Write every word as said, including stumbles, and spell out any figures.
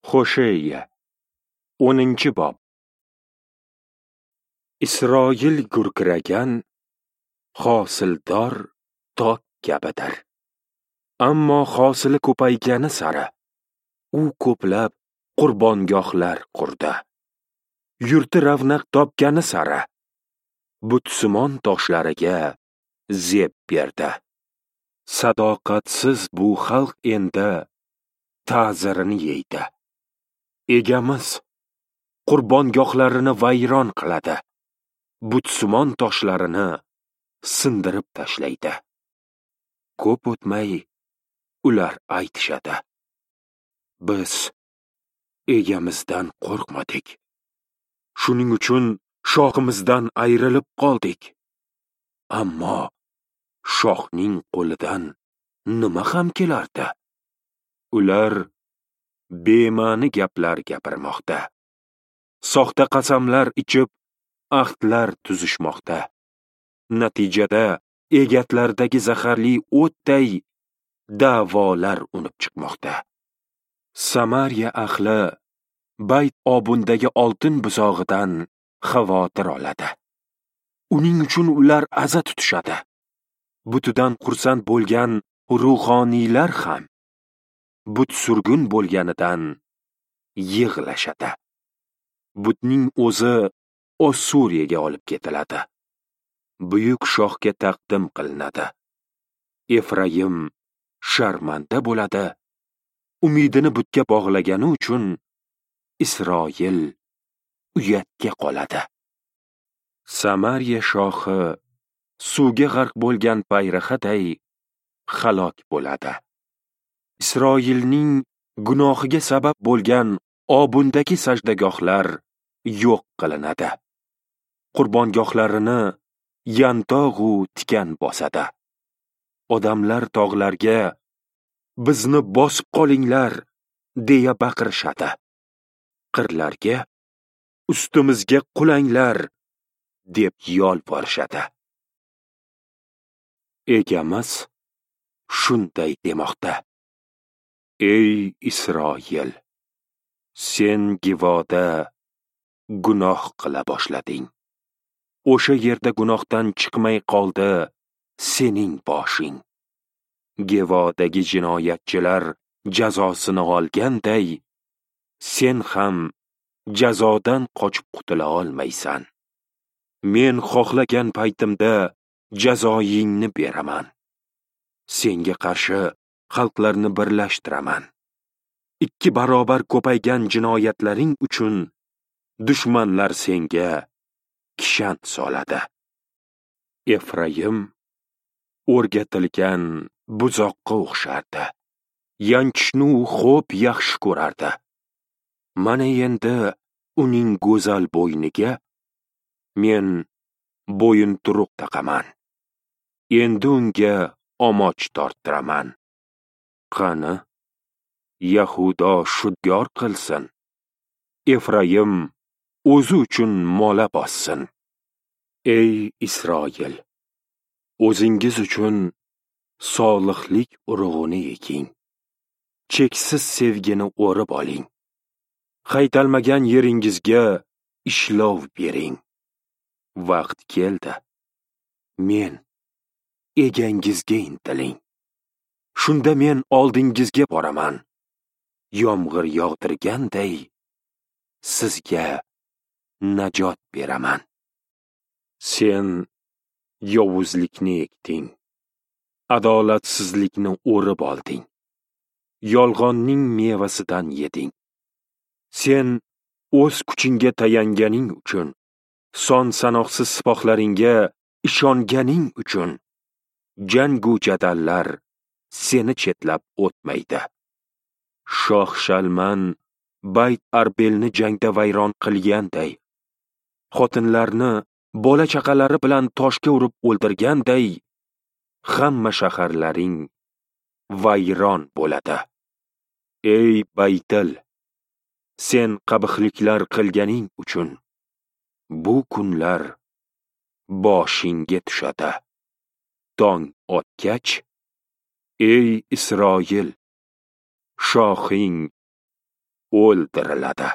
Hosheya o'ninchi bob. Isroil gurkiragan hosildor tok kabidir. Ammo hosili ko'paygani sari u ko'plab qurbongohlar qurdi. Yurti ravnaq topgani sari butsimon toshlariga zeb berdi. Sadoqatsiz bu xalq endi ta'zirini yeydi. Egamiz qurbongohlarini vayron qiladi, butsimon toshlarini sindirib tashlaydi. Ko'p o'tmay ular aytishadi: biz egamizdan qo'rqmadik. Shuning uchun shoximizdan ayrilib qoldik. Ammo shoxning qo'lidan nima ham kelardi? Ular bema'ni gaplar gapirmoqda. Soxta qasamlar ichib, ahdlar tuzishmoqda. Natijada egatlardagi zaharli o'tday da'volar unib chiqmoqda. Samariya ahli Bayt Obundagi oltin buzog'idan xavotir oladi. Uning uchun ular aza tutishadi. Butidan xursand bo'lgan ruhoniylar ham but surgun bo'lganidan yig'lashadi. Butning o'zi Ossuriyaga olib ketiladi. Buyuk shohga taqdim qilinadi. Efraim sharmanda bo'ladi. Umidini butga bog'lagani uchun Isroil uyatga qoladi. Samariya shohi suvga g'arq bo'lgan payrahaday halok bo'ladi. Isroilning gunohiga sabab bo'lgan Obundagi sajdagohlar yo'q qilinadi. Qurbongohlarini yantog'u tikan bosadi. Odamlar tog'larga bizni bosib qolinglar deya baqirishadi. Qirlarga ustimizga qulanglar deb yolvorishadi. Egamiz shunday demoqda: Ey Isroil, sen Givoda gunoh qila boshlading. O'sha yerda gunohdan chiqmay qoldi sening boshing. Givodagi jinoyatchilar jazosini olganday, sen ham jazodan qochib qutula olmaysan. Men xohlagan paytimda jazoyingni beraman. Senga qarshi xalqlarni birlashtiraman. Ikki barobar ko'paygan jinoyatlaring uchun dushmanlar senga kishan soladi. Efraim o'rgatilgan buzoqqa o'xshardi. Yanchishni u xo'p yaxshi ko'rardi. Mana endi uning go'zal bo'yniga men bo'yinturuq taqaman. Endi unga omoch torttiraman. Qani, Yahudo shudgor qilsin. Efraim o'zi uchun mola bossin. Ey Isroil, o'zingiz uchun solihlik urug'ini eking. Cheksiz sevgini o'rib oling. Haytalmagan yeringizga ishlov bering. Vaqt keldi. Men egangizga intiling. Shunda men oldingizga boraman. Yomg'ir yog'dirganday sizga najot beraman. Sen yovuzlikni ekding. Adolatsizlikni o'rib olding. Yolg'onning mevasidan yeding. Sen o'z kuchingga tayanganing uchun, son sanoqsiz sipohlaringga ishonganing uchun jangu jadallar seni chetlab o'tmaydi. Shoh Shalman Bayt Arbelni jangda vayron qilganday, xotinlarni bola chaqalari bilan toshga urib o'ldirganday, hamma shaharlaring vayron bo'ladi. Ey Baytil, sen qabihliklar qilganing uchun bu kunlar boshingga tushadi. Tong otgach, ey Isroil, shohing o'ldiriladi.